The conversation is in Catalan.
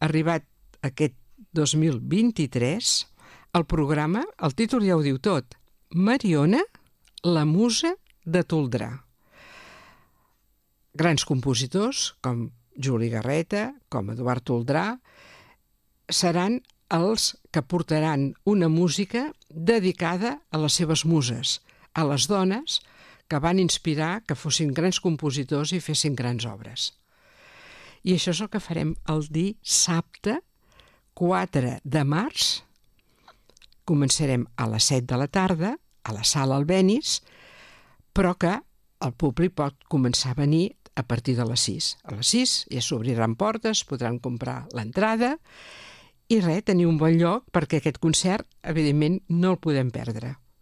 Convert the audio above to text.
arribat aquest 2023, el programa, el títol ja ho diu tot, Mariona, la musa de Toldrà. Grans compositors, com Juli Garreta, com Eduard Toldrà, seran els que portaran una música dedicada a les seves muses, a les dones que van inspirar que fossin grans compositors i fessin grans obres. I això és el que farem el dissabte 4 de març. Començarem a les 7 de la tarda, a la sala Albéniz, però que el públic pot començar a venir a partir de les 6. A les 6 ja s'obriran portes, podran comprar l'entrada i tenir un bon lloc perquè aquest concert, evidentment, no el podem perdre.